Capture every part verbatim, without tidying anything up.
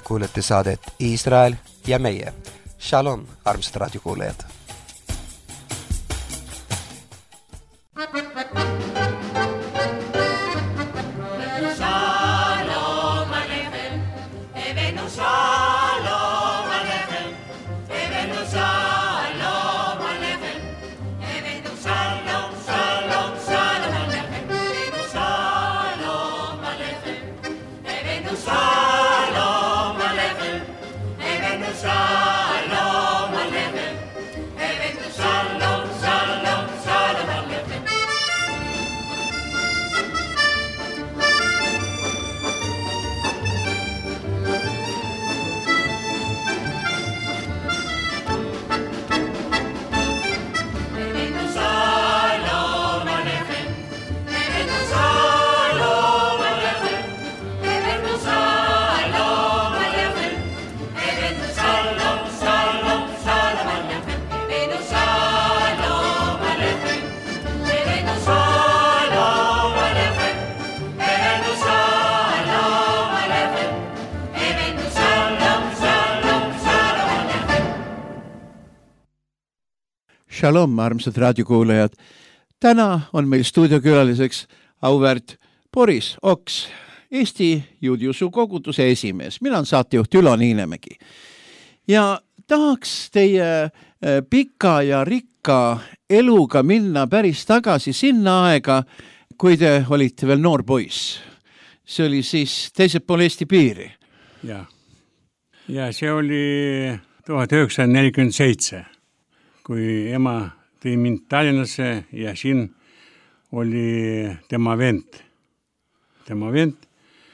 kuulete saadet Iisrael ja meie. Shalom, armsad raadiokuulajad! Shalom, armsad raadiokuulajad. Täna on meil stuudiokülaliseks auväärt Boris Oks, Eesti juudiusu koguduse esimees. Mina on saatejuht Ülo Niinemägi. Ja tahaks teie pika ja rikka eluga minna päris tagasi sinna aega, kui te olite veel noor poiss. See oli siis teisel pool Eesti piiri. Ja, ja see oli tuhat üheksasada nelikümmend seitse. Kui ema tõi mind Tallinnasse ja siin oli tema vend. Tema vend,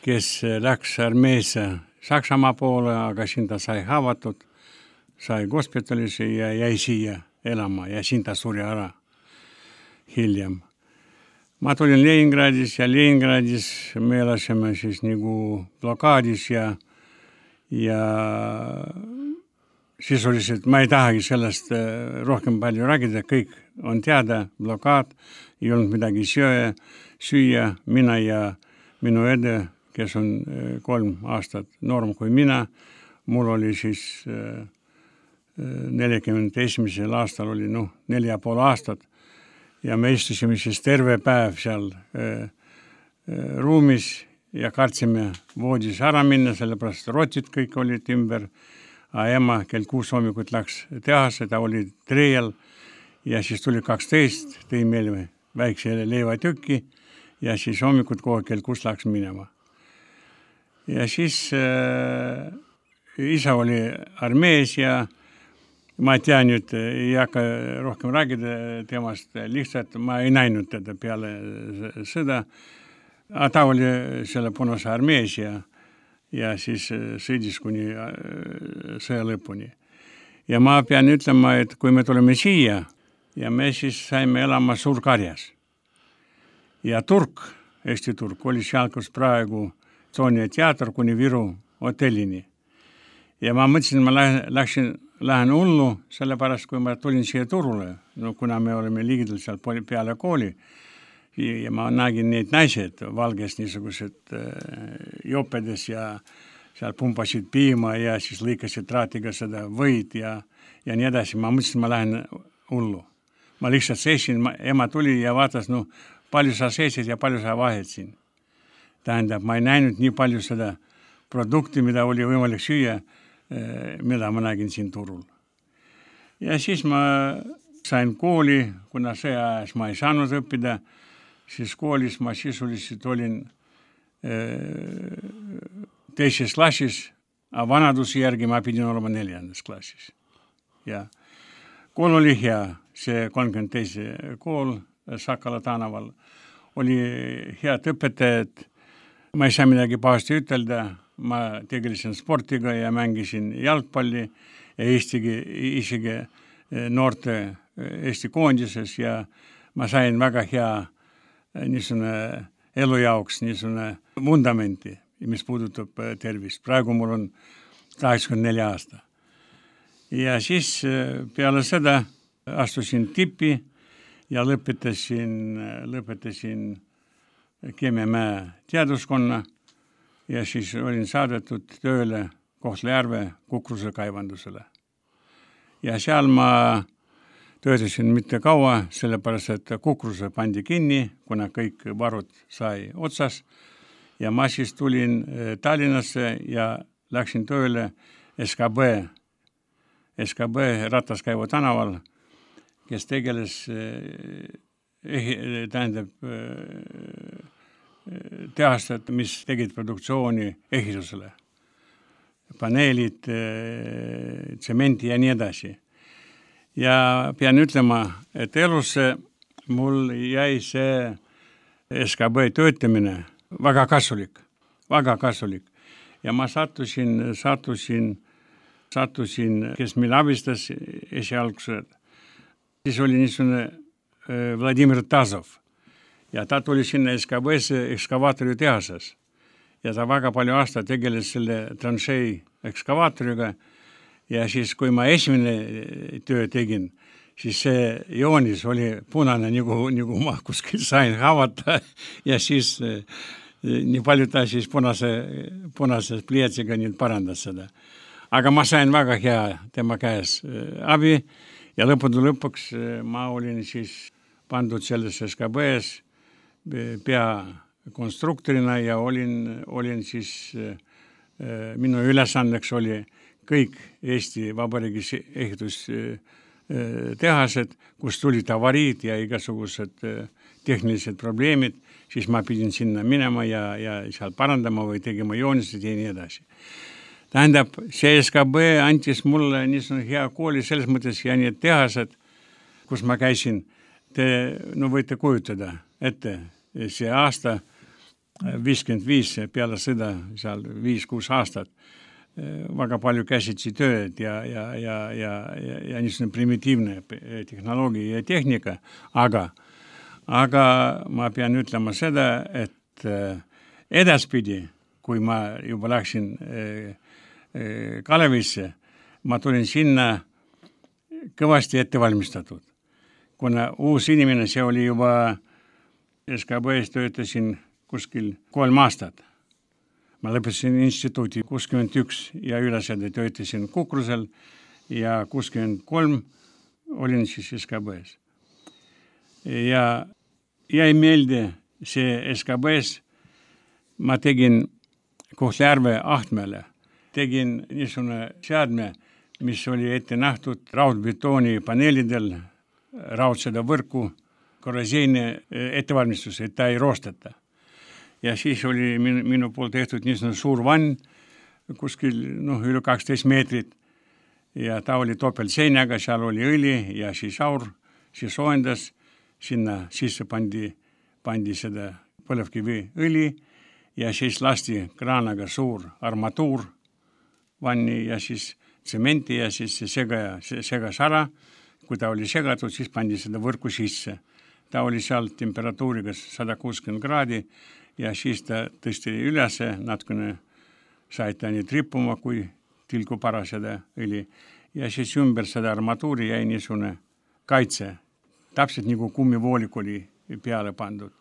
kes läks armeesse Saksamaa poole, aga siin ta sai haavatud, sai hospitalisse ja jäi siia elama ja siin ta suri ära hiljem. Ma tulin Leningradis ja Leningradis me elasime siis nagu blokaadis ja ja sisuliselt ma ei tahagi sellest rohkem palju rääkida, kõik on teada, blokaad, ei olnud midagi süüa, süüa, mina ja minu õde, kes on kolm aastat noorem kui mina, mul oli siis nelikümmend esimesel aastal oli noh, neli ja pool aastat ja me istusime siis terve päev seal ruumis ja kartsime voodis ära minna, sellepärast rotid kõik olid ümber. A ema kell kuus hommikut läks tehasse, ta oli trejal ja siis tuli kaksteist, tõi meile väikse leivatükki ja siis hommikut kohe kell kuus läks minema. Ja siis äh, isa oli armees ja ma ei tea nüüd, ei hakka rohkem rääkida temast, lihtsalt ma ei näinud teda peale sõda. A ta oli selle punase armees ja ja siis sõidis kuni sõja lõpuni. Ja ma pean ütlema, et kui me tuleme siia ja me siis saime elama Suur-Karjas. Ja Turk, Eesti Turk, oli seal, kus praegu Toonia teater kuni Viru hotellini. Ja ma mõtlesin, ma läksin, lähen hullu, sellepärast kui ma tulin siia Turule, no kuna me oleme liigidel seal peale kooli, ja ma nägin neid naised valges niisugused jopedes ja seal pumpasid piima ja siis lõikasid traatiga seda võid ja, ja nii edasi. Ma mõtlesin, ma lähen hullu. Ma lihtsalt seisin, ema tuli ja vaatas, no palju sa seisid ja palju sa vahed siin. Tähendab, ma ei näinud nii palju seda produkti, mida oli võimalik süüa, mida ma nägin siin Turul. Ja siis ma sain kooli, kuna see ajas ma ei saanud õppida, siis koolis ma sisuliselt olin teises klassis, aga vanaduse järgi ma pidin olema neljandas klassis. Ja kool oli hea, see kolmkümmend teise kool Sakala tänaval. Oli head õpetajad, ma ei saa midagi pahasti ütelda, ma tegelesin sportiga ja mängisin jalgpalli ja isegi, isegi noorte Eesti koondises ja ma sain väga hea niisugune elu jaoks niisugune vundamenti, mis puudutab tervist. Praegu mul on kaheksakümmend neli aasta. Ja siis peale seda astusin tippi ja lõpetasin, lõpetasin Keemiamäe teaduskonna ja siis olin saadetud tööle Kohtla-Järve Kukruse kaevandusele. Ja seal ma töötasin mitte kaua, sellepärast, et Kukruse pandi kinni, kuna kõik varud sai otsas. Ja ma siis tulin Tallinnasse ja läksin tööle S K B, S K B Rataskäivu tänaval, kes tegeles, tähendab, tehased, mis tegid produktsiooni ehitusele. Paneelid, tsementi ja nii edasi. Ja pean ütlema, et elusse mul jäi see S K B töötamine väga kasulik, väga kasulik. Ja ma sattusin, sattusin, sattusin, kes meil abistas esialgsed. Siis oli niisugune Vladimir Tazov. Ja ta tuli sinna S K B-sse ekskavaatori tehases. Ja ta väga palju aasta tegeles selle tranšei ekskavaatoriga. Ja siis, kui ma esimene töö tegin, siis see joonis oli punane, nagu, nagu ma kuskil sain haavata. Ja siis nii palju ta siis punase, punase pliiatsiga nüüd parandas seda. Aga ma sain väga hea tema käes abi ja lõppude lõpuks ma olin siis pandud selles S K B-s pea konstruktorina ja olin, olin siis, minu ülesandeks oli kõik Eesti Vabariigis ehitustehased, kus tulid avariid ja igasugused tehnilised probleemid, siis ma pidin sinna minema ja, ja seal parandama või tegema joonised ja nii edasi. Tähendab, see S K B antis mulle niisugune hea kooli selles mõttes ja need tehased, kus ma käisin, te no võite kujutada ette, see aasta viiskümmend viis peale sõda, seal viis-kuus aastat, väga palju käsitsi tööd ja, ja, ja, ja, ja, ja niisugune primitiivne tehnoloogia ja tehnika, aga, aga ma pean ütlema seda, et edaspidi, kui ma juba läksin Kalevisse, ma tulin sinna kõvasti ettevalmistatud. Kuna uus inimene, see oli juba S K B-s töötasin kuskil kolm aastat. Ma lõpetasin instituuti kuuskümmend üks ja ülesede töötasin Kukrusel ja kuuskümmend kolm olin siis S K B-s. Ja jäi meelde see S K B-s, ma tegin Kohtla-Järve Ahtmele, tegin niisugune seadme, mis oli ette nähtud raudbetooni paneelidel, raudseda võrku, korrosiooni ettevalmistus, et ta ei roosteta. Ja siis oli minu, minu pool tehtud niisugune suur vann, kuskil noh, üle kaksteist meetrit ja ta oli topeltseinaga, seal oli õli ja siis aur, siis soojendas, sinna sisse pandi, pandi seda põlevkivi õli ja siis lasti kraanaga suur armatuur vanni ja siis tsementi ja siis see sega, segas ära. Kui ta oli segatud, siis pandi seda võrku sisse. Ta oli seal temperatuuriga sada kuuskümmend kraadi ja siis ta tõsti ülesse, natukene sai ta nii trippuma, kui tilku para seda õli. Ja siis ümber seda armatuuri jäi niisugune kaitse, täpselt nagu kummivoolik oli peale pandud.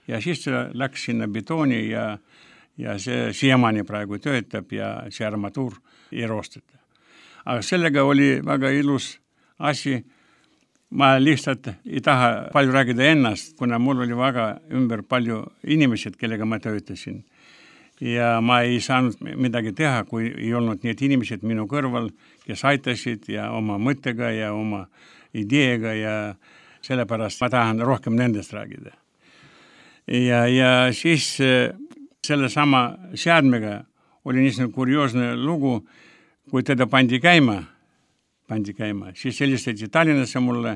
Ja siis ta läks sinna betooni ja, ja see siiamaani praegu töötab ja see armatuur ei roosteta. Aga sellega oli väga ilus asi. Ma lihtsalt ei taha palju rääkida ennast, kuna mul oli väga ümber palju inimesed, kellega ma töötasin. Ja ma ei saanud midagi teha, kui ei olnud need inimesed minu kõrval, kes aitasid ja oma mõttega ja oma ideega ja sellepärast ma tahan rohkem nendest rääkida. Ja, ja siis selle sama seadmega oli niisugune kurioosne lugu, kui teda pandi käima, pandi käima, siis helistati Tallinnasse mulle,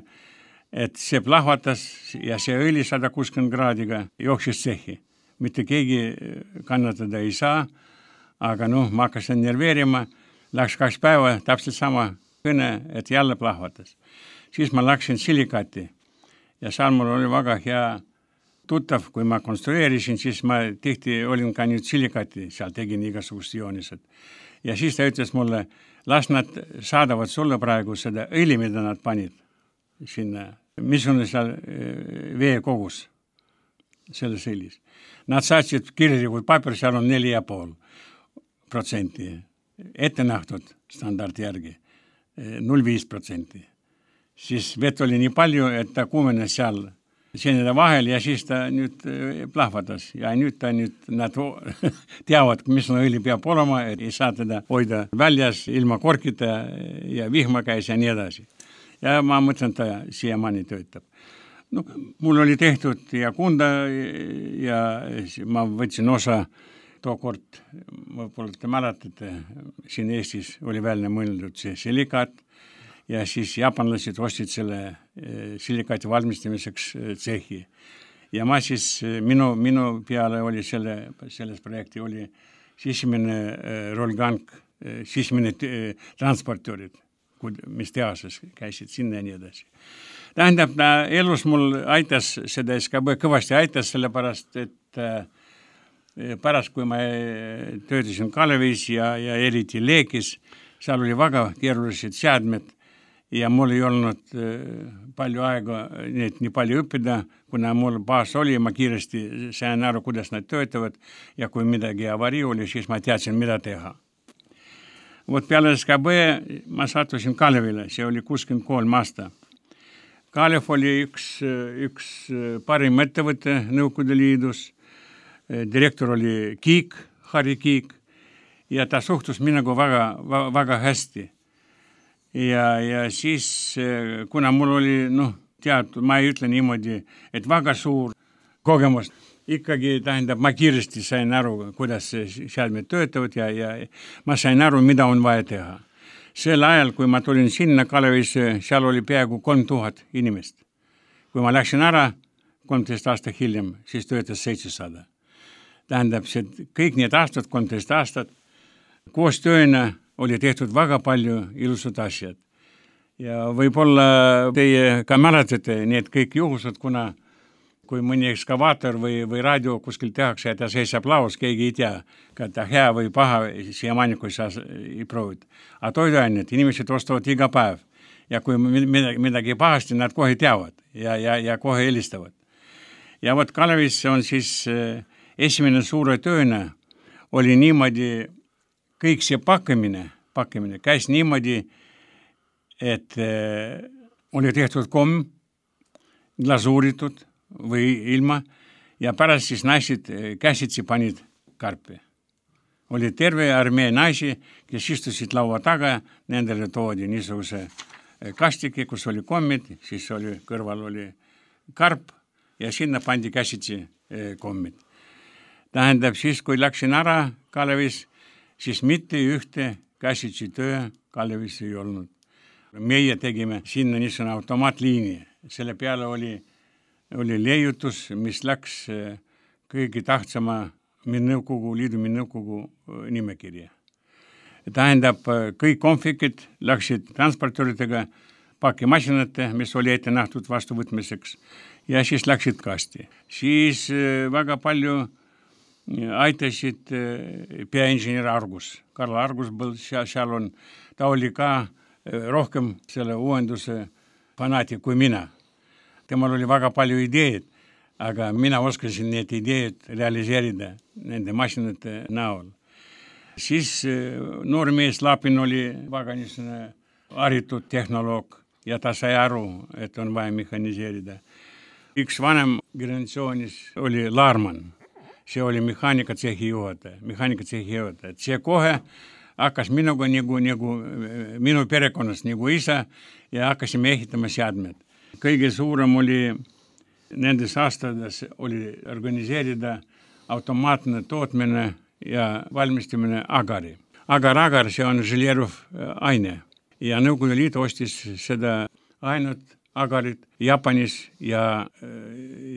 et see plahvatas ja see õli sada kuuskümmend kraadiga jooksis tsehhi. Mitte keegi kannatada ei saa, aga noh, ma hakkasin nerveerima, läks kaks päeva, täpselt sama kõne, et jälle plahvatas. Siis ma läksin silikati ja seal mul oli väga hea tuttav, kui ma konstrueerisin, siis ma tihti olin ka nüüd silikati, seal tegin igasugust joonised. Ja siis ta ütles mulle, las nad saadavad sulle praegu seda õli, mida nad panid sinna. Mis on seal veekogus selles õlis? Nad saatsid kirjalikult paper, seal on neli ja pool protsenti. ette nähtud standardi järgi null viis protsenti. Siis vett oli nii palju, et ta kuumenes seal seenide vahel ja siis ta nüüd plahvatas. Ja nüüd ta nüüd, nad teavad, mis õli peab olema, et ei saa teda hoida väljas ilma korkita ja vihma käis ja nii edasi. Ja ma mõtlen, ta siiamaani töötab. No, mul oli tehtud ja kunda ja ma võtsin osa tookord, võib-olla te mäletate, siin Eestis oli välja mõeldud see silikaat ja siis jaapanlased ostsid selle silikaati valmistamiseks tsehhi. Ja ma siis, minu, minu peale oli selle, selles projekti oli sisimene rolgank, sisimene transportöörid, mis tehases käisid sinna ja nii edasi. Tähendab, elus mul aitas seda S K B kõvasti aitas, sellepärast, et pärast, kui ma töötasin Kalevis ja, ja eriti Leekis, seal oli väga keerulised seadmed ja mul ei olnud palju aega neid nii palju õppida, kuna mul baas oli, ma kiiresti sain aru, kuidas nad töötavad ja kui midagi avarii oli, siis ma teadsin, mida teha. Vot peale S K B ma sattusin Kalevile, see oli kuuskümmend kolm aasta. Kalev oli üks, üks parim ettevõte Nõukogude Liidus, direktor oli Kiik, Harri Kiik ja ta suhtus minuga väga, väga hästi. Ja, ja siis, kuna mul oli, noh, teatud, ma ei ütle niimoodi, et väga suur kogemus, ikkagi tähendab, ma kiiresti sain aru, kuidas seadmed töötavad ja, ja ma sain aru, mida on vaja teha. Sel ajal, kui ma tulin sinna Kalevisse, seal oli peaaegu kolm tuhat inimest. Kui ma läksin ära, kolmteist aasta hiljem, siis töötas seitsesada. Tähendab, see kõik need aastad, kolmteist aastat, koos tööna oli tehtud väga palju ilusad asjad. Ja võib-olla teie ka mäletate need kõik juhused, kuna kui mõni ekskavaator või, või raadio kuskil tehakse ja ta seisab laos, keegi ei tea, ka ta hea või paha, siiamaani kui sa ei proovid. Aga toiduainet inimesed ostavad iga päev ja kui midagi, midagi pahasti, nad kohe teavad ja, ja, ja kohe helistavad. Ja võt Kalevis on siis esimene suure tööna oli niimoodi, kõik see pakkimine, pakkimine käis niimoodi, et äh, oli tehtud komm, glasuuritud või ilma ja pärast siis naised käsitsi panid karpi. Oli terve armee naisi, kes istusid laua taga, nendele toodi niisuguse kastiki, kus oli kommid, siis oli, kõrval oli karp ja sinna pandi käsitsi kommid. Tähendab, siis kui läksin ära Kalevis, siis mitte ühte käsitsi töö Kalevis ei olnud. Meie tegime sinna niisugune automaatliini. Selle peale oli, oli leiutus, mis läks kõige tahtsama Nõukogu Liidu Nõukogu nimekirja. Tähendab, kõik konfikid läksid transportööridega pakimasinate, mis oli ette nähtud vastuvõtmiseks ja siis läksid kasti. Siis väga palju aitasid peainžener Argus. Karl Argus был, seal on, ta oli ka rohkem selle uuenduse fanaatik kui mina. Temal oli väga palju ideed, aga mina oskasin need ideed realiseerida nende masinate näol. Siis noor mees Lapin oli väga niisugune haritud tehnoloog ja ta sai aru, et on vaja mehaniseerida. Üks vanem generatsioonis oli Laarman. See oli mehaanikatsehhi juhataja, mehaanikatsehhi juhataja. See kohe hakkas minuga nagu, nagu minu perekonnas nagu isa ja hakkasime ehitama seadmed. Kõige suurem oli nendes aastades oli organiseerida automaatne tootmine ja valmistamine agari. Agar-agar, see on želeeruv aine ja Nõukogude Liit ostis seda ainult agarit Jaapanis ja,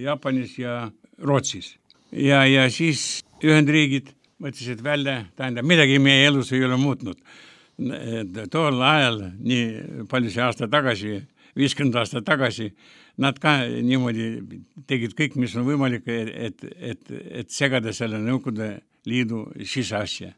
Jaapanis ja Rootsis. Ja, ja siis Ühendriigid mõtlesid välja, tähendab, midagi meie elus ei ole muutnud. Tol ajal, nii palju see aasta tagasi, viiskümmend aasta tagasi, nad ka niimoodi tegid kõik, mis on võimalik, et, et, et segada selle Nõukogude Liidu siseasja.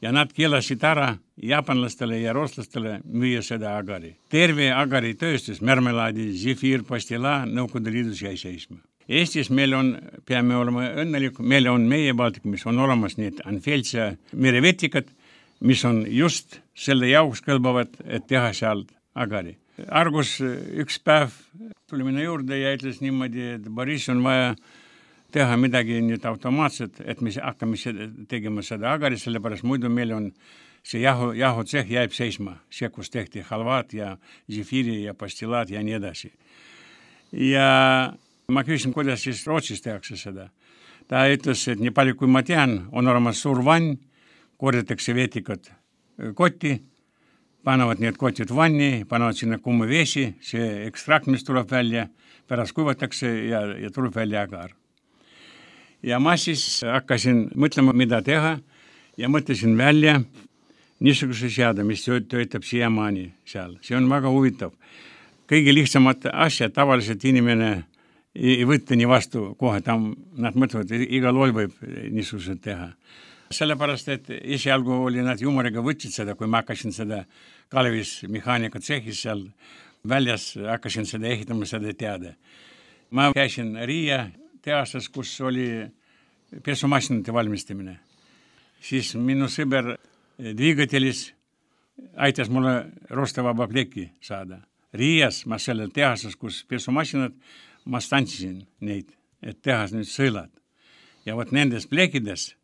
Ja nad keelasid ära jaapanlastele ja rootslastele müüa seda agari. Terve agari tööstus, märmelaadi, zefir, pastila Nõukogude Liidus jäi seisma. Eestis meil on, peame olema õnnelik, meil on meie Baltik, mis on olemas need Anfeltsia merevetikad, mis on just selle jaoks kõlbavad, et teha seal agari. Argus üks päev tuli minna juurde ja ütles niimoodi, et Boris on vaja teha midagi nüüd automaatselt, et me hakkame tegema seda agari, sellepärast muidu meil on see jahu, jahutseh jääb seisma, see, kus tehti halvat ja zefiri ja pastilaat ja nii edasi. Ja ma küsin, kuidas siis Rootsis tehakse seda. Ta ütles, et nii palju kui ma tean, on olemas suur vann, korjatakse veetikad kotti, panevad need kotid vanni, panevad sinna kuuma vesi, see ekstrakt, mis tuleb välja, pärast kuivatakse ja, ja tuleb välja agar. Ja ma siis hakkasin mõtlema, mida teha ja mõtlesin välja niisuguse seade, mis töötab siiamaani seal. See on väga huvitav. Kõige lihtsamad asjad tavaliselt inimene ei võtta nii vastu kohe, tam nad mõtlevad, igal lool võib niisugused teha. Sellepärast, et esialgu oli nad jumoriga võtsid seda, kui ma hakkasin seda Kalevis mehaanika tsehis seal väljas, hakkasin seda ehitama, seda teada. Ma käisin Riia tehasas, kus oli pesumasinate valmistamine. Siis minu sõber Dvigatelis aitas mulle roostevaba pleki saada. Riias ma sellel tehasas, kus pesumasinad, ma stantsisin neid, et tehas nüüd sõelad. Ja võt nendes plekides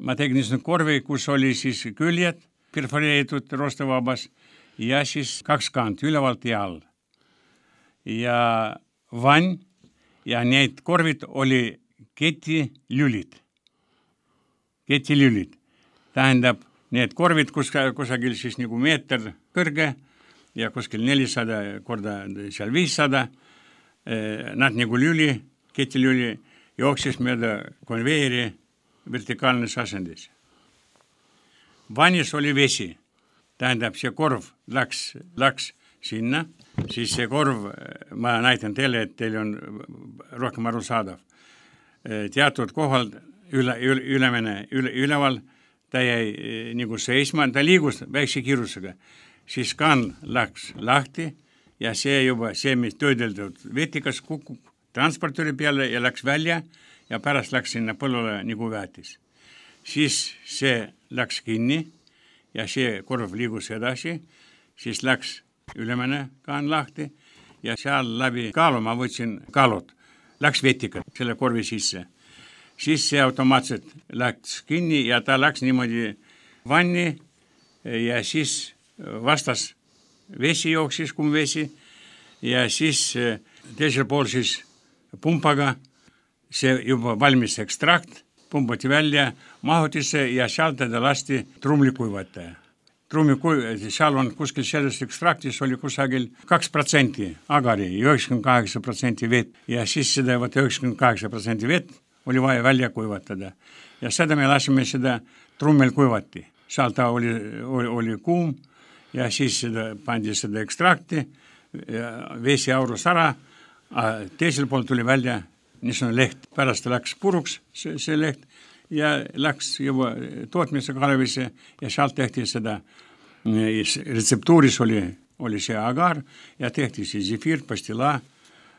ma tegin niisugune korvi, kus oli siis küljed perforeeritud roostevabas ja siis kaks kant ülevalt ja all. Ja vann ja need korvid oli ketilülid. Ketilülid. Tähendab, need korvid kus, kusagil siis nagu meeter kõrge ja kuskil nelisada korda seal viissada. Nad nagu lüli, ketilüli jooksis mööda konveeri vertikaalnes asendis. Vannis oli vesi. Tähendab, see korv läks, läks sinna, siis see korv, ma näitan teile, et teil on rohkem aru saadav. Teatud kohal üle, üle, ülemene, üle, üleval ta jäi nagu seisma, ta liigus väikse kiirusega. Siis kaan läks lahti ja see juba, see, mis töödeldud vetikas kukub transportööri peale ja läks välja ja pärast läks sinna põllule nagu väetis. Siis see läks kinni ja see korv liigus edasi, siis läks ülemene kaan lahti ja seal läbi kaalu ma võtsin kaalud, läks vetikad selle korvi sisse. Siis see automaatselt läks kinni ja ta läks niimoodi vanni ja siis vastas vesi jooksis, kum vesi ja siis teisel pool siis pumpaga see juba valmis ekstrakt, pumbati välja mahutisse ja seal teda lasti trumlikuivataja. Trumlikuivataja, seal on kuskil sellest ekstraktis oli kusagil kaks protsenti agari, üheksakümmend kaheksa protsenti vett ja siis seda üheksakümmend kaheksa protsenti vett oli vaja välja kuivatada. Ja seda me lasime seda trummel kuivati. Seal ta oli, oli, oli kuum ja siis seda, pandi seda ekstrakti, vesi aurus ära, teisel pool tuli välja niisugune leht. Pärast läks puruks see, see leht ja läks juba tootmise Kalevisse ja sealt tehti seda, retseptuuris oli, oli see agar ja tehti see zefir, pastila,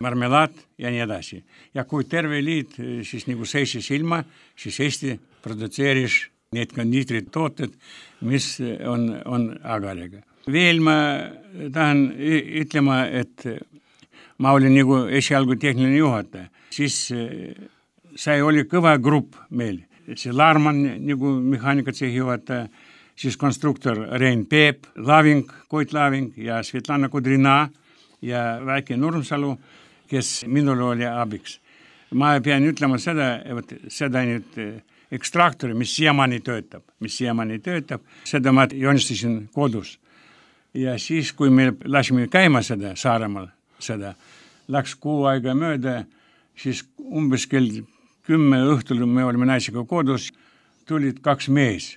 marmelaad ja nii edasi. Ja kui terve liit siis nagu seisis ilma, siis Eesti produtseeris need kondiitrid tooted, mis on, on agariga. Veel ma tahan ütlema, et ma olin nagu esialgu tehniline juhataja. Siis see oli kõva grupp meil. See Laarman nagu mehaanikatsehhi juhataja, siis konstruktor Rein Peep, Laving, Koit Laving ja Svetlana Kudrina ja väike Nurmsalu, kes minul oli abiks. Ma pean ütlema seda, et seda nüüd ekstraktori, mis siiamaani töötab, mis siiamaani töötab, seda ma joonistasin kodus. Ja siis, kui me lasime käima seda Saaremaal, seda läks kuu aega mööda, siis umbes kell kümme õhtul me olime naisega kodus, tulid kaks mees.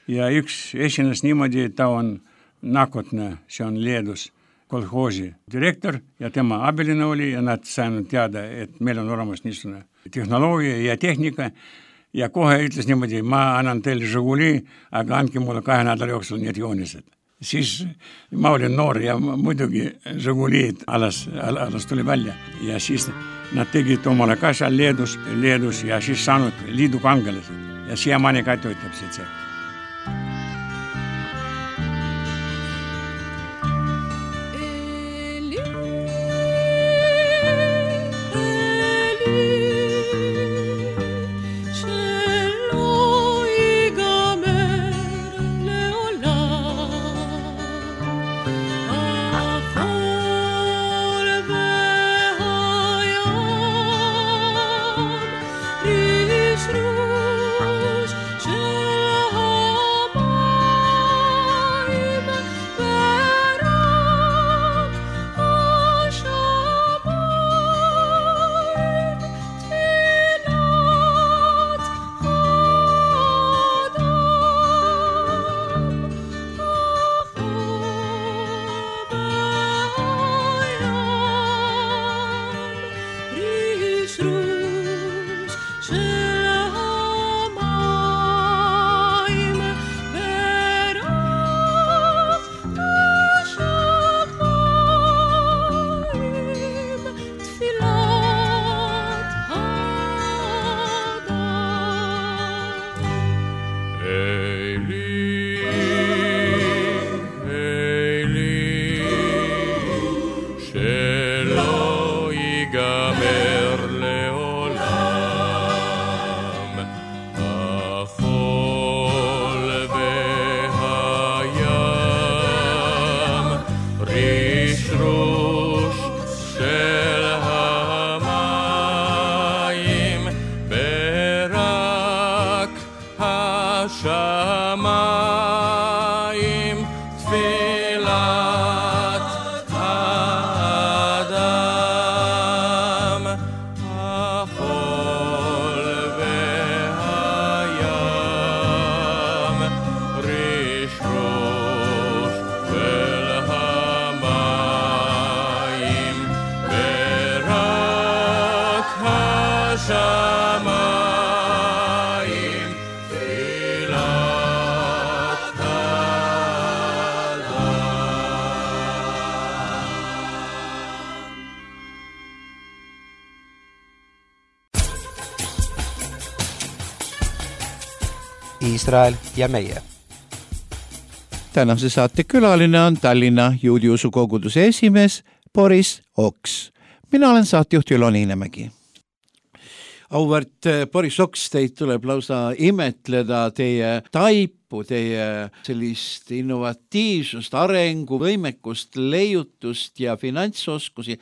Ja üks esines niimoodi, et ta on Nakotna, see on Leedus kolhoosi direktor ja tema abiline oli ja nad saanud teada, et meil on olemas niisugune tehnoloogia ja tehnika ja kohe ütles niimoodi, ma annan teile Žiguli, aga andke mulle kahe nädala jooksul need joonised. Siis ma olin noor ja muidugi Žiguliid alas, alas tuli välja ja siis nad tegid omale ka seal Leedus, Leedus ja siis saanud liidu kangelased ja siiamaani ka töötab see. Iisrael ja meie. Tänase saate külaline on Tallinna juudiusu koguduse esimees Boris Oks. Mina olen saatejuht Ülo Niinemägi. Auväärt Boris Oks, teid tuleb lausa imetleda teie taipu, teie sellist innovatiivsust, arengu, võimekust, leiutust ja finantsoskusi.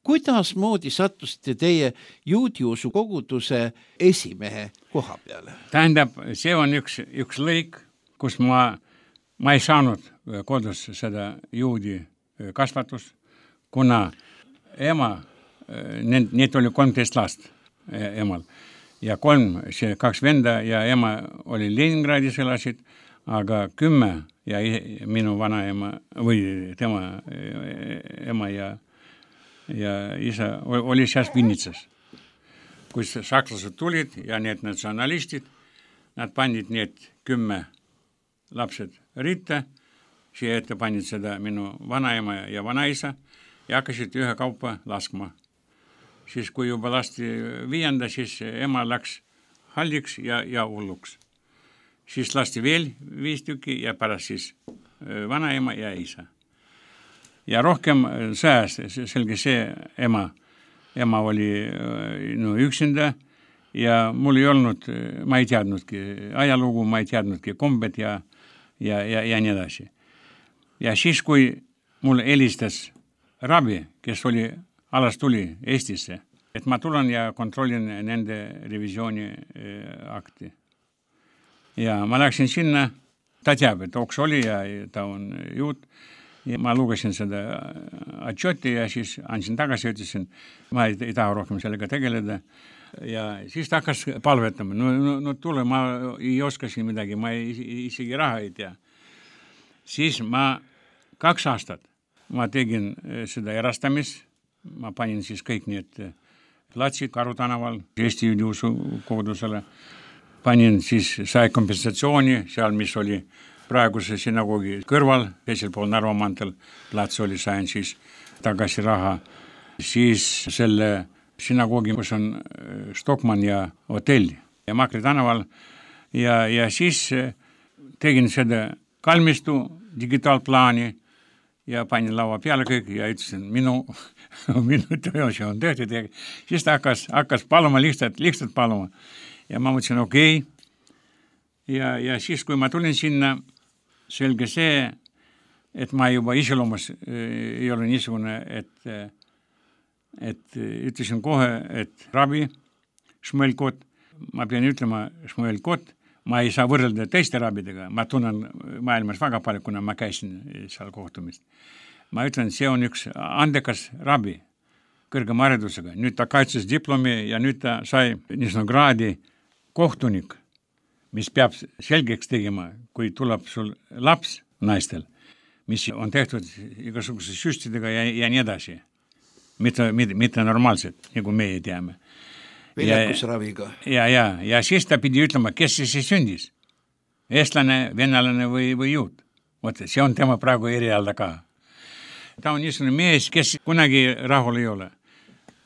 Kuidas moodi sattusite teie juudiusu koguduse esimehe koha peale? Tähendab, see on üks, üks lõik, kus ma, ma ei saanud kodus seda juudi kasvatust, kuna ema, need, need oli kolmteist last emal ja kolm, see kaks venda ja ema oli Leningradis elasid, aga kümme ja minu vanaema või tema ema ja ja isa oli seal Vinnitsas. Kui sakslased tulid ja need natsionalistid, nad panid need kümme lapsed ritta, siia ette panid seda minu vanaema ja vanaisa ja hakkasid ühe kaupa laskma. Siis kui juba lasti viienda, siis ema läks halliks ja, ja hulluks. Siis lasti veel viis tükki ja pärast siis vanaema ja isa. Ja rohkem sõjas, selge see ema, ema oli no, üksinda ja mul ei olnud, ma ei teadnudki ajalugu, ma ei teadnudki kombed ja, ja, ja, ja nii edasi. Ja siis, kui mul helistas rabi, kes oli, alas tuli Eestisse, et ma tulen ja kontrollin nende revisiooni akti. Ja ma läksin sinna, ta teab, et Oks oli ja ta on juut. Ja ma lugesin seda atšoti ja siis andsin tagasi, ütlesin, ma ei, ei taha rohkem sellega tegeleda. Ja siis ta hakkas palvetama. No, no, no tule, ma ei oska siin midagi, ma ei, isegi raha ei tea. Siis ma kaks aastat ma tegin seda erastamis. Ma panin siis kõik need platsid Karu tänaval Eesti juudiusu kogudusele. Panin siis, sai kompensatsiooni seal, mis oli praeguse synagoogi kõrval, teisel pool Narva maanteel plats oli, sain siis tagasi raha. Siis selle synagoogi, kus on Stockmann ja hotell ja Makri tänaval. Ja, ja siis tegin seda kalmistu digitaalplaani ja panin laua peale kõik ja ütlesin, minu, minu töö on tehtud. Siis ta hakkas, hakkas paluma, lihtsalt, lihtsalt paluma. Ja ma mõtlesin, okei. Okay. Ja, ja siis, kui ma tulin sinna, selge see, et ma juba iseloomus ei ole niisugune, et, et ütlesin kohe, et rabi, Šmuel Kot, ma pean ütlema Šmuel Kot, ma ei saa võrrelda teiste rabidega, ma tunnen maailmas väga palju, kuna ma käisin seal kohtumist. Ma ütlen, see on üks andekas rabi kõrgema haridusega. Nüüd ta kaitses diplomi ja nüüd ta sai niisugune kraadi kohtunik, mis peab selgeks tegema, kui tuleb sul laps naistel, mis on tehtud igasuguse süstidega ja, ja nii edasi. Mitte, mitte, mitte normaalselt, nagu meie teame. Viljakusraviga. Ja, ja, ja siis ta pidi ütlema, kes see sündis. Eestlane, venelane või, või juut. Võt, see on tema praegu erialda ka. Ta on niisugune mees, kes kunagi rahul ei ole.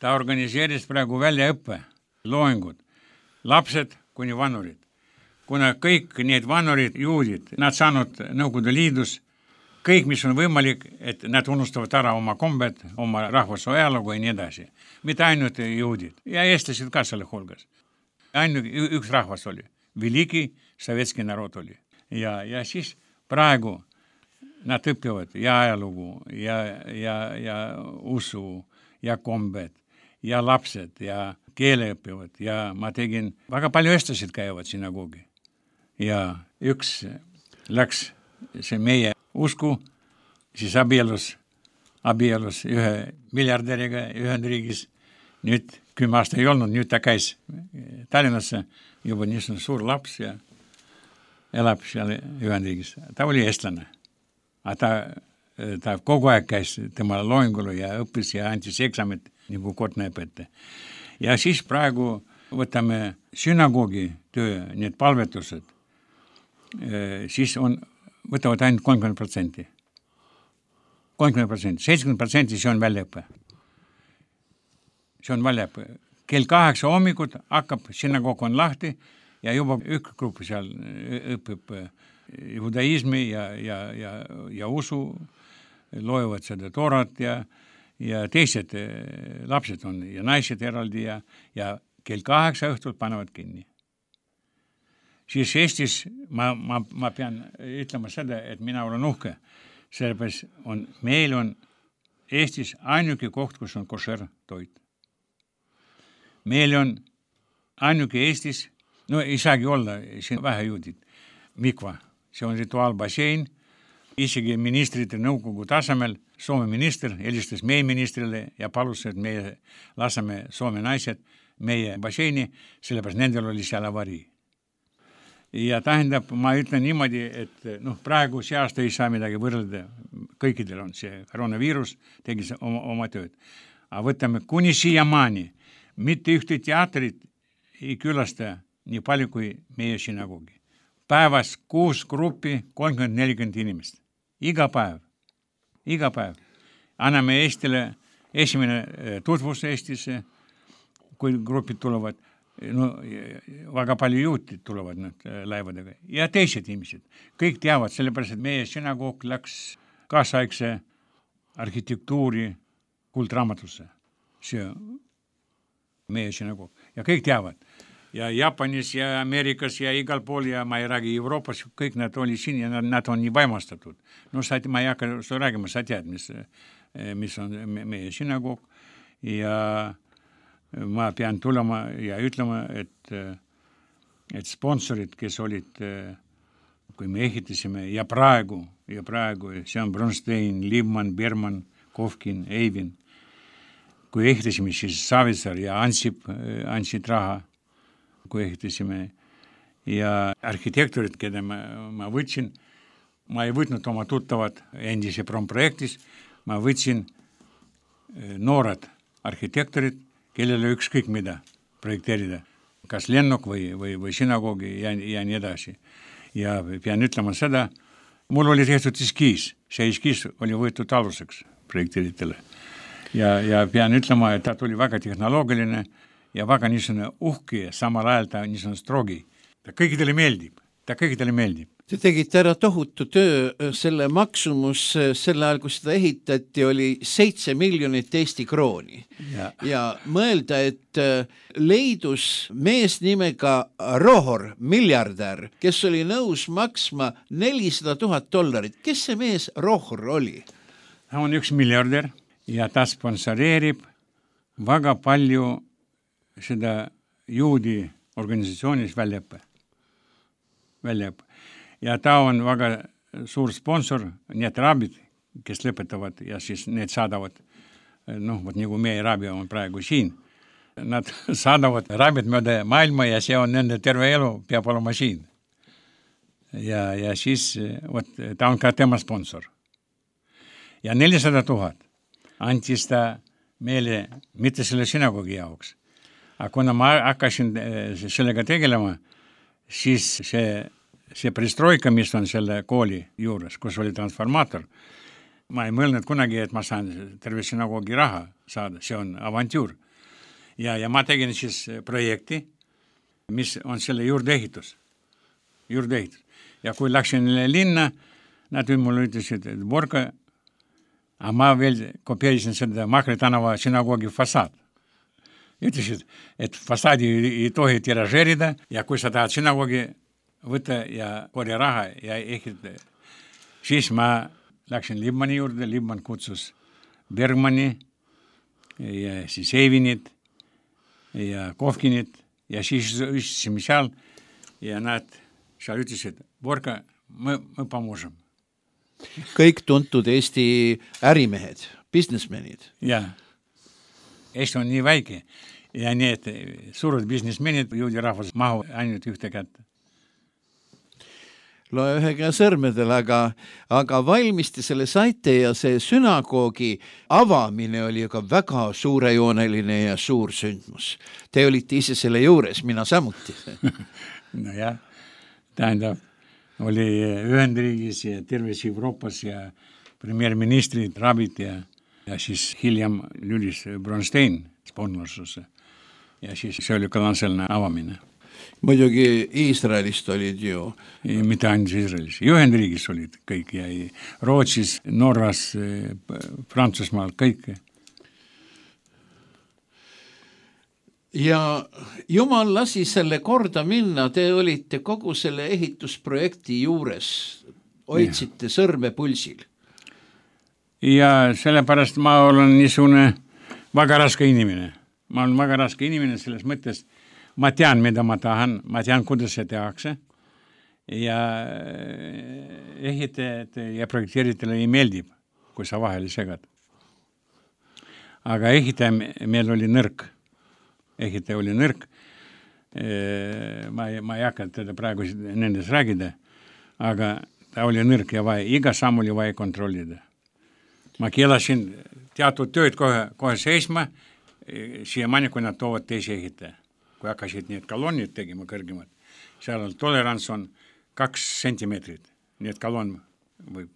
Ta organiseeris praegu väljaõppe, loengud, lapsed kuni vanurid. Kuna kõik need vanurid, juudid, nad saanud Nõukogude Liidus, kõik, mis on võimalik, et nad unustavad ära oma kombed, oma rahvuse ajalugu ja nii edasi. Mitte ainult juudid ja eestlased ka selle hulgas. Ainult üks rahvas oli. Veliki sovetski narod oli. Ja, ja siis praegu nad õpivad ja ajalugu ja, ja, ja usu ja kombed ja lapsed ja keele õpivad ja ma tegin, väga palju eestlased käivad synagoogi. Ja üks läks see meie usku, siis abielus, abielus ühe miljardäriga Ühendriigis. Nüüd kümme aasta ei olnud, nüüd ta käis Tallinnasse, juba niisugune suur laps ja elab seal Ühendriigis. Ta oli eestlane. Aga ta, ta kogu aeg käis tema loengulu ja õppis ja andis eksamit, nagu kord näeb ette. Ja siis praegu võtame synagoogi töö, need palvetused, siis on, võtavad ainult kolmkümmend protsenti. kolmkümmend protsenti, seitsekümmend protsenti see on väljaõppe. See on väljaõppe. Kell kaheksa hommikut hakkab, synagoog on lahti, ja juba üks grupp seal õpib judaismi ja, ja, ja, ja usu, loevad seda toorat ja, ja teised lapsed on ja naised eraldi ja, ja kell kaheksa õhtul panevad kinni. Siis Eestis ma, ma, ma pean ütlema seda, et mina olen uhke, sellepärast on, meil on Eestis ainuke koht, kus on košer toit. Meil on ainuke Eestis, no ei saagi olla, siin vähe juudid, mikva, see on rituaalbassein, isegi ministrite nõukogu tasemel, Soome minister helistas meie ministrile ja palus, et meie laseme Soome naised meie basseini, sellepärast nendel oli seal avarii. Ja tähendab, ma ütlen niimoodi, et noh, praegu see aasta ei saa midagi võrrelda, kõikidel on see koroonaviirus, tegi oma, oma tööd. Aga võtame kuni siiamaani, mitte ühte teatrit ei külasta nii palju kui meie sinagogi. Päevas kuus gruppi, kolmkümmend nelikümmend inimest. Iga päev. Iga päev. Anname Eestile esimene tutvus Eestisse, kui grupid tulevad. No, väga palju juutid tulevad nad laevadega. Ja teised inimesed. Kõik teavad, sellepärast, et meie sinagoog läks kaasaegse arhitektuuri kuldraamatusse. See meie sinagoog. Ja kõik teavad. Ja Jaapanis ja Ameerikas ja igal pool ja ma ei räägi Euroopas, kõik nad oli siin ja nad, nad on nii vaimastatud. No sa, ma ei hakka seda räägima, sa tead, mis, mis on meie sinagoog ja ma pean tulema ja ütlema, et, et sponsorid, kes olid, kui me ehitasime ja praegu, ja praegu, see on Bronstein, Liebmann, Berman, Kovkin, Eivin, kui ehitasime, siis Savisaar ja Ansip andsid raha, kui ehitasime ja arhitektorid, keda ma, ma võtsin, ma ei võtnud oma tuttavad endise promprojektis, ma võtsin noored arhitektorid, kellele ükskõik mida projekteerida, kas lennuk või, või, või sinagoogi ja, ja nii edasi. Ja pean ütlema seda, mul oli tehtud eskiis, see eskiis oli võetud aluseks projekteeritele. Ja, ja pean ütlema, et ta tuli väga tehnoloogiline ja väga niisugune uhke, samal ajal ta niisugune strogi. Ta kõikidele meeldib, ta kõikidele meeldib. Te tegite ära tohutu töö, selle maksumus selle ajal, kui seda ehitati, oli seitse miljonit Eesti krooni. Ja, ja mõelda, et leidus mees nimega Rohor, miljardär, kes oli nõus maksma nelisada tuhat dollarit. Kes see mees Rohor oli? Ta on üks miljardär ja ta sponsoreerib väga palju seda juudi organisatsioonis väljaõppe. Väljaõppe. Ja ta on väga suur sponsor, need rabid, kes lõpetavad ja siis need saadavad, noh, võt nagu meie rabi on praegu siin. Nad saadavad rabid mööda maailma ja see on nende terve elu, peab olema siin. Ja, ja siis võt, ta on ka tema sponsor. Ja nelisada tuhat antis ta meile mitte selle sinagogi jaoks. Aga kuna ma hakkasin sellega tegelema, siis see see pristroika, mis on selle kooli juures, kus oli transformaator, ma ei mõelnud kunagi, et ma saan terve sinagoogi raha saada, see on avantüür. Ja, ja ma tegin siis projekti, mis on selle juurdeehitus. Juurdeehitus. Ja kui läksin linna, nad mulle ütlesid, et Borka, aga ma veel kopeerisin seda Mahri tänava sinagoogi fassaad. Ütlesid, et fassaadi ei tohi tiražeerida ja kui sa tahad sinagoogi võtta ja korja raha ja ehitada. Siis ma läksin Liebmanni juurde, Liebmann kutsus Bergmanni ja siis Eivinit ja Kovkinit ja siis üstsime seal ja nad seal ütlesid, Borka, me, me pamusem. Kõik tuntud Eesti ärimehed, businessmenid. Ja, Eesti on nii väike ja need suured businessmenid, juudi rahvas mahu ainult ühte kätte. Loe ühe käe sõrmedel, aga, aga valmisti selle saite ja see sünagoogi avamine oli ju ka väga suurejooneline ja suur sündmus. Te olite ise selle juures, mina samuti. No jah, tähendab, oli Ühendriigis ja terves Euroopas ja premierministrid, rabid ja, ja siis hiljem lülis Bronstein sponsorsusse. Ja siis see oli kalanselne avamine. muidugi Iisraelist olid ju. Mitte ainult Iisraelis, Ühendriigis olid kõik ja Rootsis, Norras, Prantsusmaal, kõik. Ja jumal lasi selle korda minna, te olite kogu selle ehitusprojekti juures, hoidsite sõrme pulsil. Ja sellepärast ma olen niisugune väga raske inimene. Ma olen väga raske inimene selles mõttes, ma tean, mida ma tahan, ma tean, kuidas see tehakse ja ehitajad ja projekteeritele ei meeldib, kui sa vahele segad. Aga ehitaja meil oli nõrk. Ehitaja oli nõrk. Ma ei, ma ei hakka teda praegu nendes räägida, aga ta oli nõrk ja vaja, iga samm oli vaja kontrollida. Ma keelasin teatud tööd kohe, kohe seisma, siiamaani, kui nad toovad teisi ehitaja. Kui hakkasid need kolonnid tegema kõrgemad, seal on tolerants on kaks sentimeetrit, need kolonn võib.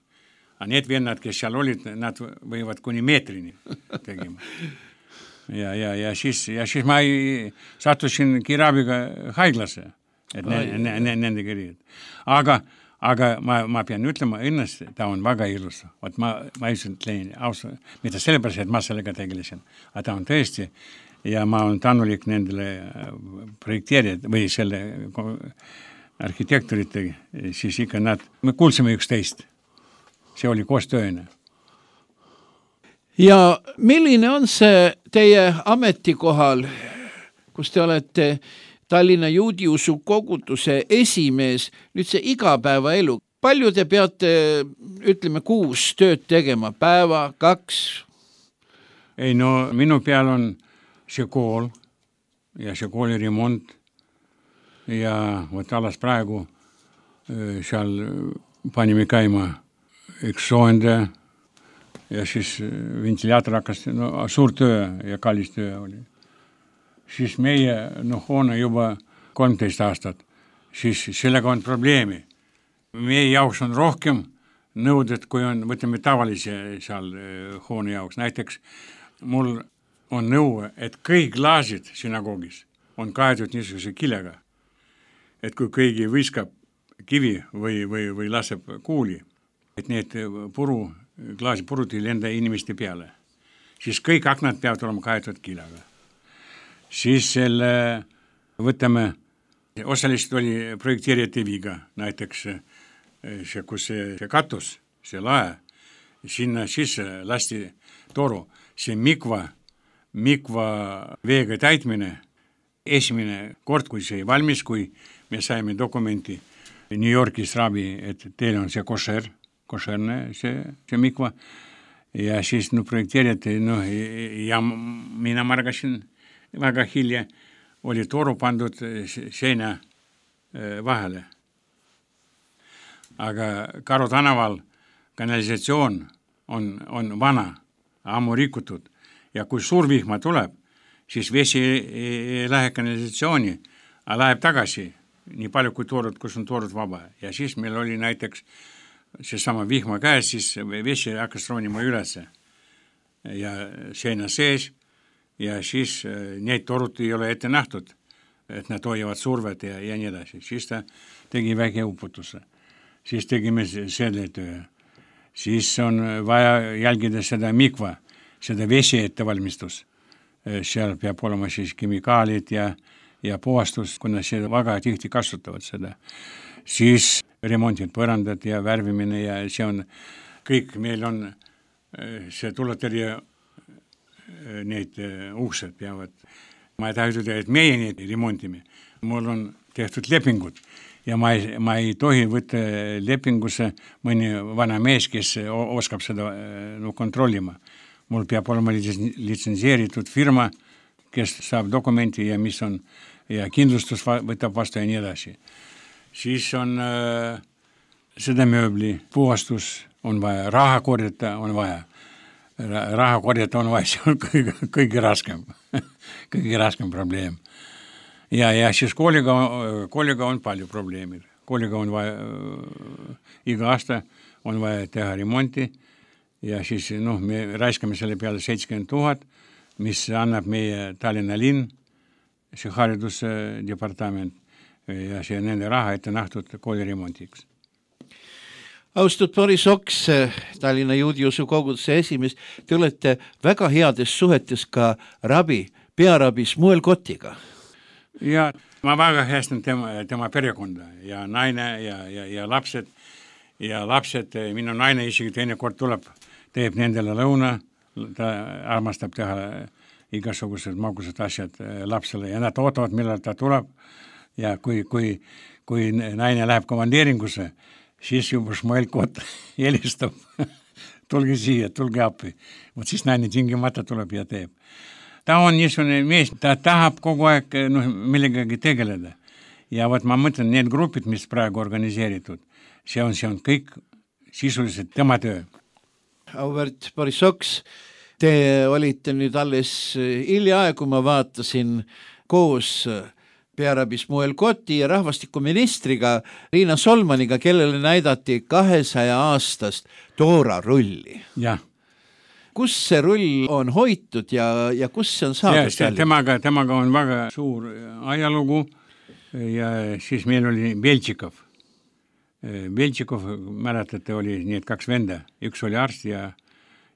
A need vennad, kes seal olid, nad võivad kuni meetrini tegema. Ja, ja, ja, siis, ja siis ma ei, sattusin kiirabiga haiglasse, et ne, ne, ne, nende kirjad. Aga Aga ma, ma pean ütlema ennast, ta on väga ilus. Ot ma, ma ütlen ausa, mida sellepärast, et ma sellega tegelesin. Aga ta on tõesti, ja ma olen tänulik nendele projekteerijad või selle arhitektorite, siis ikka nad, me kuulsime üksteist. See oli koostööne. Ja milline on see teie ametikohal, kus te olete Tallinna juudiusu koguduse esimees, nüüd see igapäevaelu. Palju te peate, ütleme, kuus tööd tegema, päeva, kaks? Ei, no minu peal on see kool ja see kooli remont ja võt alas praegu seal panime käima üks soojendaja ja siis ventilaator hakkas, no suur töö ja kallis töö oli. Siis meie no, hoone juba kolmteist aastat, siis sellega on probleemi. Meie jaoks on rohkem nõuded, kui on, võtame tavalise seal hoone jaoks. Näiteks mul on nõue, et kõik klaasid synagoogis on kaetud niisuguse kilega. Et kui kõigi viskab kivi või, või, või laseb kuuli, et need puru, klaasi purud ei lenda inimeste peale, siis kõik aknad peavad olema kaetud kilega. Siis selle, võtame, osaliselt oli projekteerijate viga, näiteks see, kus see, see katus, see lae, sinna sisse lasti toru, see mikva, mikva veega täitmine, esimene kord, kui see valmis, kui me saime dokumenti New Yorkis rabi, et teil on see košer, košerne see, see mikva, ja siis no, projekteerijate, no, ja mina margasin väga hilja oli toru pandud seina vahele. Aga Karu tänaval kanalisatsioon on, on vana, ammu rikutud ja kui suur vihma tuleb, siis vesi ei lähe kanalisatsiooni, aga läheb tagasi nii palju kui toorud, kus on toorud vaba. Ja siis meil oli näiteks seesama vihma käes, siis vesi hakkas roonima ülesse ja seina sees. Ja siis neid torud ei ole ette nähtud, et nad hoiavad survet ja, ja nii edasi. Siis ta tegi väike uputuse. Siis tegime selle töö. Siis on vaja jälgida seda mikva, seda vesi ettevalmistus. Seal peab olema siis kemikaalid ja, ja puhastus, kuna see väga tihti kasutavad seda. Siis remontid, põrandad ja värvimine ja see on kõik, meil on see tuletõrje need uksed peavad. Ma ei taha ütelda, et meie neid remontime. Mul on tehtud lepingud ja ma ei, ma ei tohi võtta lepingusse mõni vana mees, kes oskab seda no, kontrollima. Mul peab olema litsenseeritud firma, kes saab dokumenti ja mis on ja kindlustus võtab vastu ja nii edasi. Siis on äh, seda mööbli, puhastus on vaja, raha korjata on vaja. Raha korjata on vaja, see on kõige, kõige raskem, kõige raskem probleem. Ja, ja siis kooliga, kooliga on palju probleemid. Kooliga on vaja, iga aasta on vaja teha remonti ja siis noh, me raiskame selle peale seitsekümmend tuhat, mis annab meie Tallinna linn, see haridusdepartament ja see nende raha ette nähtud kooliremontiks. Austatud Boris Oks, Tallinna juudi usukoguduse esimees, te olete väga heades suhetes ka rabi, pearabi Shmuel Kotiga. Ja ma väga hästi tema, tema perekonda ja naine ja, ja, ja lapsed ja lapsed, minu naine isegi teine kord tuleb, teeb nendele lõuna, ta armastab teha igasugused magusad asjad lapsele ja nad ootavad, millal ta tuleb ja kui, kui, kui naine läheb komandeeringusse, siis juba Shmuel Kot helistab, tulge siia, tulge appi. Vot siis naine tingimata tuleb ja teeb. Ta on niisugune mees, ta tahab kogu aeg no, millegagi tegeleda. Ja vot ma mõtlen, need grupid, mis praegu organiseeritud, see on, see on kõik sisuliselt tema töö. Auväärt Boris Oks, te olite nüüd alles hiljaaegu, ma vaatasin koos pearabi Shmuel Koti ja rahvastikuministriga Riina Solmaniga, kellele näidati kahesaja aastast Toora rulli. Jah. Kus see rull on hoitud ja, ja kus see on saadud? Ja, temaga, temaga on väga suur ajalugu ja siis meil oli Beltšikov. Beltšikov, mäletate, oli need kaks venda. Üks oli arst ja,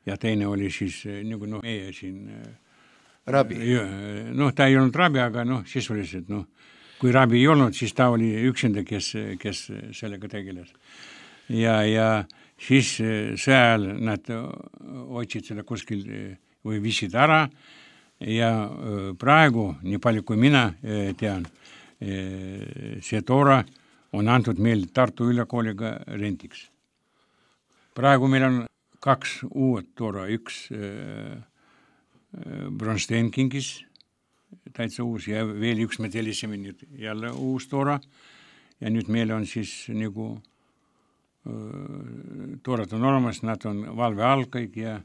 ja teine oli siis nagu noh, meie siin rabi. Noh, ta ei olnud rabi, aga noh, sisuliselt, noh, kui rabi ei olnud, siis ta oli üksinda, kes, kes sellega tegeles. Ja, ja siis seal nad otsid seda kuskil või viisid ära ja praegu, nii palju kui mina tean, see Toora on antud meil Tartu Ülikooliga rendiks. Praegu meil on kaks uued Toora, üks Bronstein kinkis, täitsa uus ja veel üks me tellisime nüüd jälle uus Toora ja nüüd meil on siis nagu Toorad on olemas, nad on valve all kõik ja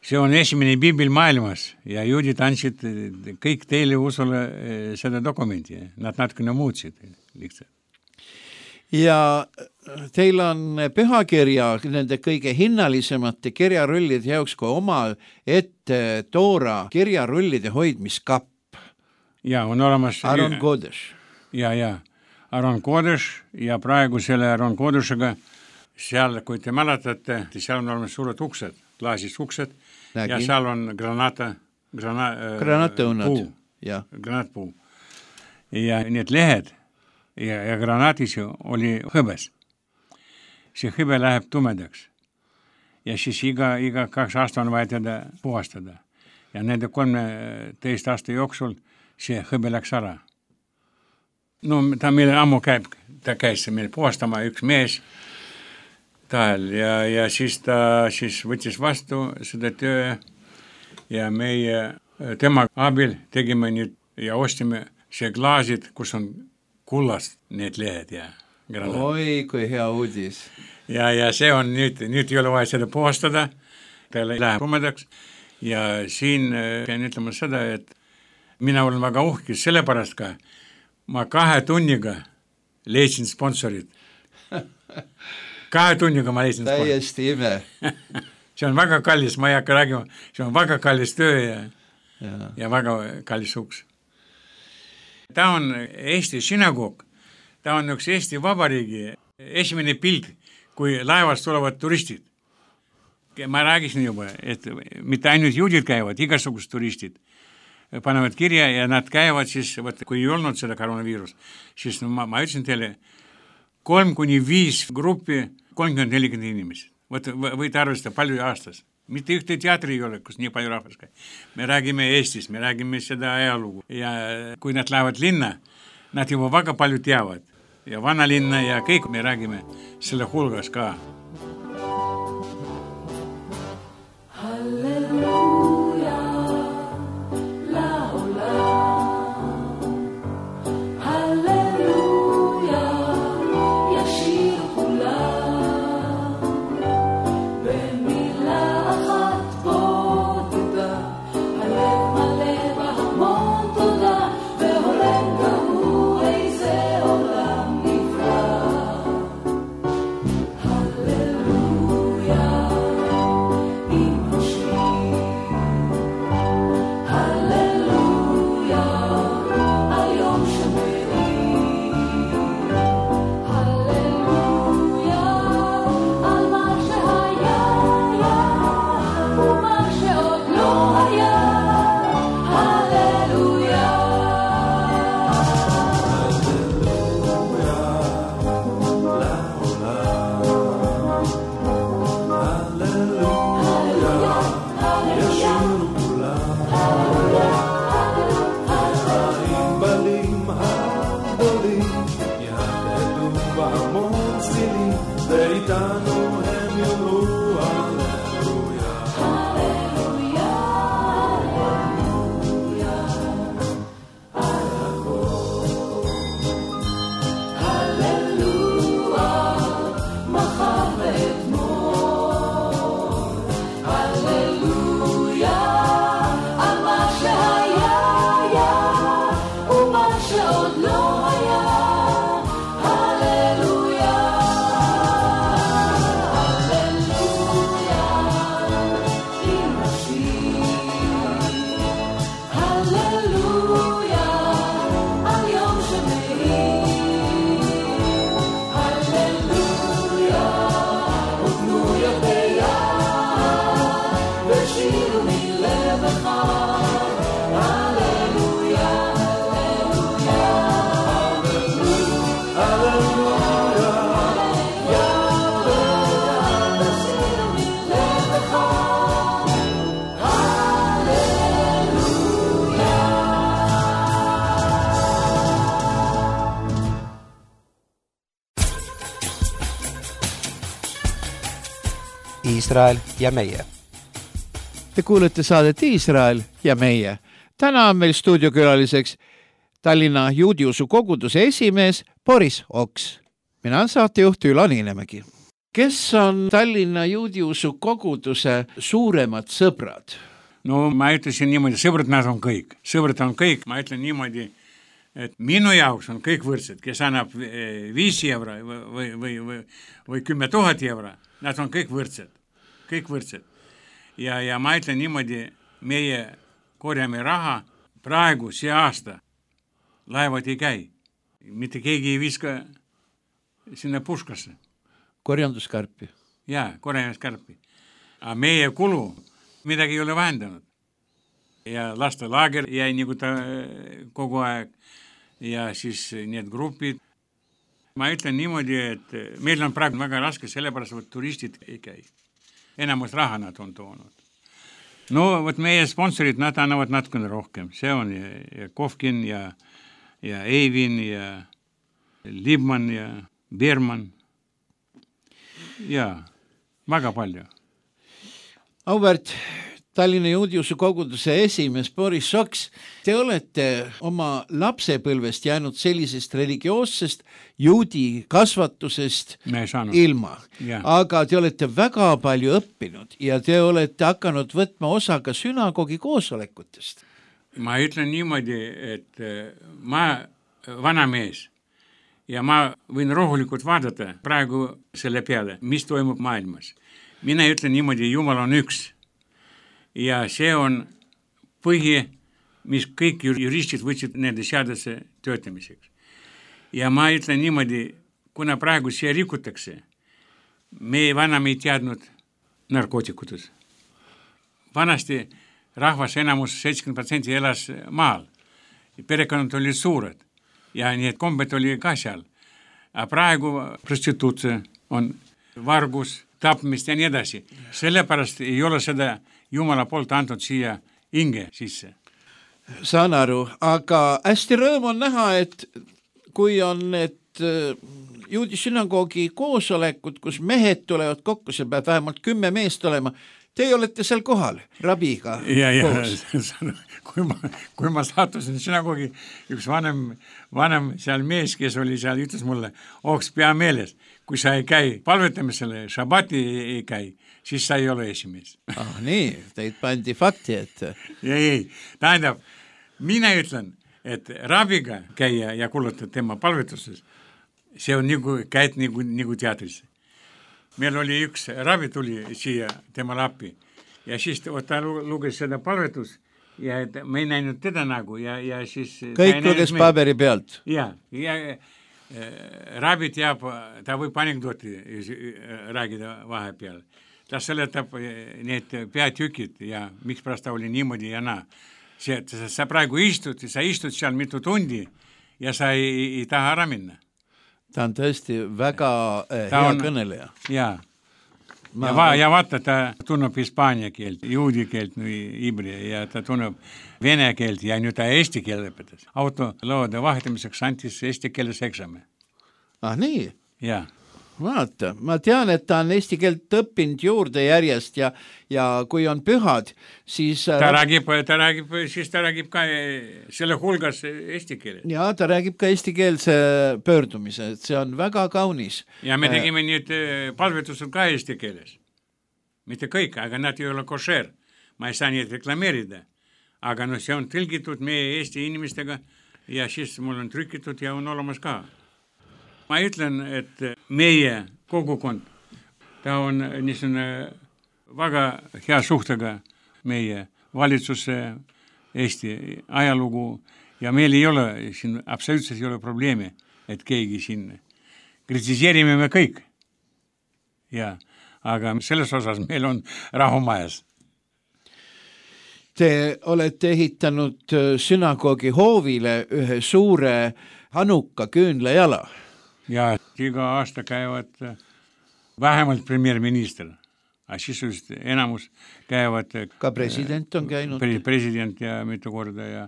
see on esimene piibel maailmas ja juudid andsid kõik teile usule seda dokumenti. Nad natukene muutsid lihtsalt. Ja teil on pühakirja nende kõige hinnalisemate kirjarullide jaoks ka oma ette Toora kirjarullide hoidmiskapp. Ja on olemas Aron Kodesh. Ja, ja. Aron Kodesh ja praegu selle Aron Kodeshega seal, kui te mäletate, seal on olemas suured uksed, klaasis uksed Nägin. Ja seal on granata, grana, granatõunad. Puu, ja. Granatpuu. Ja need lehed ja, ja granatis oli hõbes. See hõbe läheb tumedaks. Ja siis iga, iga kaks aasta on vaja teda puhastada. Ja nende kolmeteist aasta jooksul see hõbe läks ära. No ta meil ammu käib, ta käis meil puhastama üks mees tal ja, ja siis ta siis võttis vastu seda töö ja meie tema abil tegime nüüd ja ostime see klaasid, kus on kullast need lehed ja granat. Oi, kui hea uudis. Ja, ja see on nüüd, nüüd ei ole vaja seda puhastada, ta läheb tumedaks ja siin pean ütlema seda, et mina olen väga uhkis, sellepärast ka ma kahe tunniga leidsin sponsorid. Kahe tunniga ma leidsin sponsorid. Täiesti ime. See on väga kallis, ma ei hakka räägima, see on väga kallis töö ja, ja. ja väga kallis uks. Ta on Eesti sünagoog, ta on üks Eesti Vabariigi esimene pilt, kui laevast tulevad turistid. Ma räägisin juba, et mitte ainult juudid käivad, igasugused turistid panevad kirja ja nad käivad siis, võt, kui ei olnud seda koroonaviirus, siis no, ma, ma ütlesin teile, kolm kuni viis gruppi, kolmkümmend nelikümmend inimesed. Võt, võite arvestada palju aastas. Mitte ühte teatri ei ole, kus nii palju rahvas käib. Me räägime Eestis, me räägime seda ajalugu. Ja kui nad lähevad linna, nad juba väga palju teavad. Ja vana linna ja kõik me räägime selle hulgas ka. Hallelujah. Iisrael ja meie. Te kuulete saadet Iisrael ja meie. Täna on meil stuudiokülaliseks Tallinna juudiusu koguduse esimees Boris Oks. Mina on saatejuht Ülo Niinemägi. Kes on Tallinna juudiusu koguduse suuremad sõbrad? No ma ütlesin niimoodi, sõbrad nad on kõik. Sõbrad on kõik, ma ütlen niimoodi, et minu jaoks on kõik võrdsed, kes annab viis euro või, või, või, või kümme tuhat euro, nad on kõik võrdsed. Kõik võrdsed. Ja, ja ma ütlen niimoodi, meie korjame raha praegu see aasta laevad ei käi. Mitte keegi ei viska sinna puskasse. Korjanduskarpi. Jaa, korjanduskarpi. Aga meie kulu midagi ei ole vähendanud. Ja lastelaager jäi nagu ta kogu aeg. Ja siis need grupid. Ma ütlen niimoodi, et meil on praegu väga raske, sellepärast, et turistid ei käi. Enamus raha nad on toonud. No, võt meie sponsorid, nad annavad natukene rohkem. See on ja, ja Kovkin ja, ja Eivin ja Libman ja Berman. Ja, väga palju. Auväärt Tallinna juudiusu koguduse esimees Boris Oks, te olete oma lapsepõlvest jäänud sellisest religioossest juudi kasvatusest ilma. Ja. Aga te olete väga palju õppinud ja te olete hakanud võtma osa ka sünagogi koosolekutest. Ma ütlen niimoodi, et ma vana mees ja ma võin rahulikult vaadata praegu selle peale, mis toimub maailmas. Mina ütlen niimoodi, Jumal on üks. Ja see on põhi, mis kõik juristid võtsid nende seaduse töötamiseks. Ja ma ütlen niimoodi, kuna praegu see rikutakse, me vanam ei teadnud narkootikutes. Vanasti rahvas enamus seitsekümmend protsenti elas maal. Perekonnad olid suured ja need kombed oli ka seal. Aga praegu prostituutse on vargus, tapmist ja nii edasi. Sellepärast ei ole seda Jumala poolt antud siia inge sisse. Saan aru, aga hästi rõõm on näha, et kui on need juudi sünagoogi koosolekud, kus mehed tulevad kokku, see peab vähemalt kümme meest olema, te olete seal kohal rabiga ja, ja, koos. kui, ma, kui ma saatusin sünagoogi, üks vanem, vanem seal mees, kes oli seal, ütles mulle, Oks pea meeles, kui sa ei käi palvetamisele, šabati ei käi, siis sa ei ole esimees. Ah, nii, teid pandi fakti, et... Ei, ei, tähendab, mina ütlen, et rabiga käia ja kuulata tema palvetuses, see on nagu, käid nagu, nagu teatrisse. Meil oli üks rabi tuli siia tema lappi ja siis ta luges seda palvetus ja me ei näinud teda nagu ja, ja siis... Kõik luges paberi pealt. Ja, ja rabi teab, ta võib anekdooti räägida vahepeal. Ta seletab need peatükid ja miks pärast ta oli niimoodi ja naa. See, sa praegu istud, sa istud seal mitu tundi ja sa ei, ei taha ära minna. Ta on tõesti väga eh, hea on, kõneleja. Jaa. Ma... Ja, va, ja vaata, ta tunneb hispaania keelt, juudi keelt, ibri, ja ta tunneb vene keelt ja nüüd ta eesti keele õpetas. Autoloode vahetamiseks antis eesti keeles eksami. Ah, nii? Jaa. Vaata, ma tean, et ta on eesti keelt õppinud juurde järjest ja, ja kui on pühad, siis... Ta räägib, ta räägib, siis ta räägib ka selle hulgas eesti keeles. Ja ta räägib ka eesti keelse pöördumise, et see on väga kaunis. Ja me tegime nüüd palvetused ka eesti keeles. Mitte kõik, aga nad ei ole košer. Ma ei saa neid reklameerida. Aga no see on tõlgitud meie eesti inimestega ja siis mul on trükitud ja on olemas ka. Ma ütlen, et meie kogukond, ta on niisugune väga hea suhtega meie valitsuse Eesti ajalugu ja meil ei ole, siin absoluutselt ei ole probleemi, et keegi siin kritiseerime me kõik. Ja, aga selles osas meil on rahumajas. Te olete ehitanud sünagoogi hoovile ühe suure Hanuka küünlajala. Ja iga aasta käivad vähemalt premierminister, aga siis enamus käivad... Ka president on käinud. President ja mitu korda ja,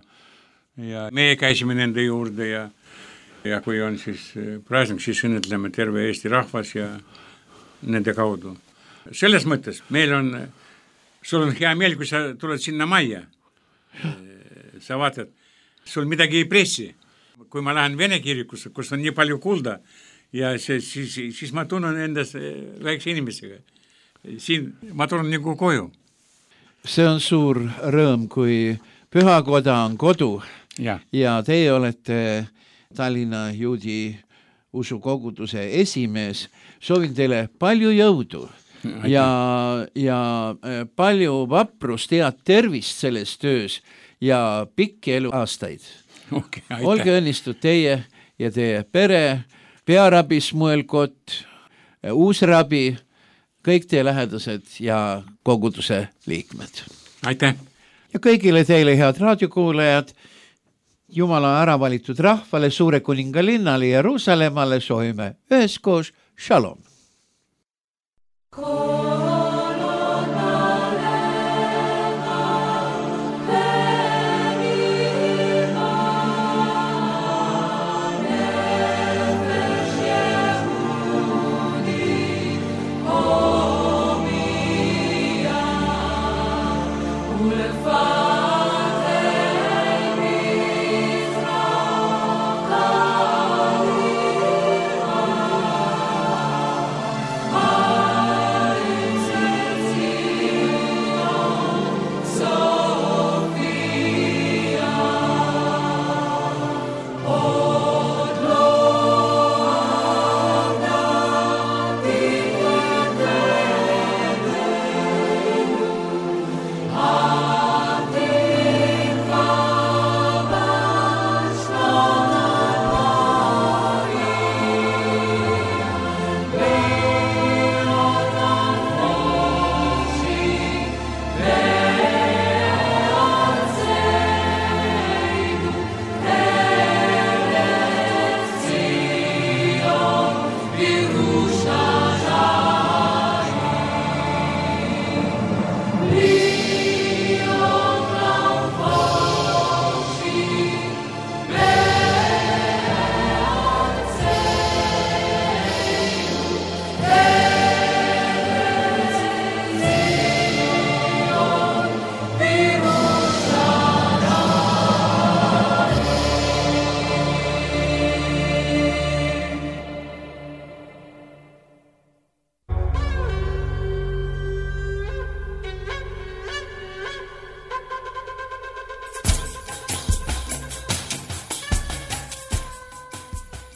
ja meie käisime nende juurde ja, ja kui on siis praeguseks, siis õnnetleme terve Eesti rahvas ja nende kaudu. selles mõttes meil on, sul on hea meel, kui sa tuled sinna majja. Sa vaatad, sul midagi ei pressi. Kui ma lähen Vene kirikusse, kus on nii palju kulda ja see, siis, siis ma tunnen endas väikse inimesega. Siin ma tunnen nagu koju. See on suur rõõm, kui pühakoda on kodu ja, ja teie olete Tallinna juudi usukoguduse esimees. Soovin teile palju jõudu ja, ja palju vaprust, head tervist selles töös ja pikki elu aastaid. Okay, olge õnnistud teie ja teie pere, pearabi Smuelkott, uusrabi, kõik teie lähedased ja koguduse liikmed. Aitäh! Ja kõigile teile, head raadiokuulajad, Jumala ära valitud rahvale, suure kuninga linnale Jeruusalemmale soovime üheskoos shalom!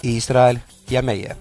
Iisrael ja meie.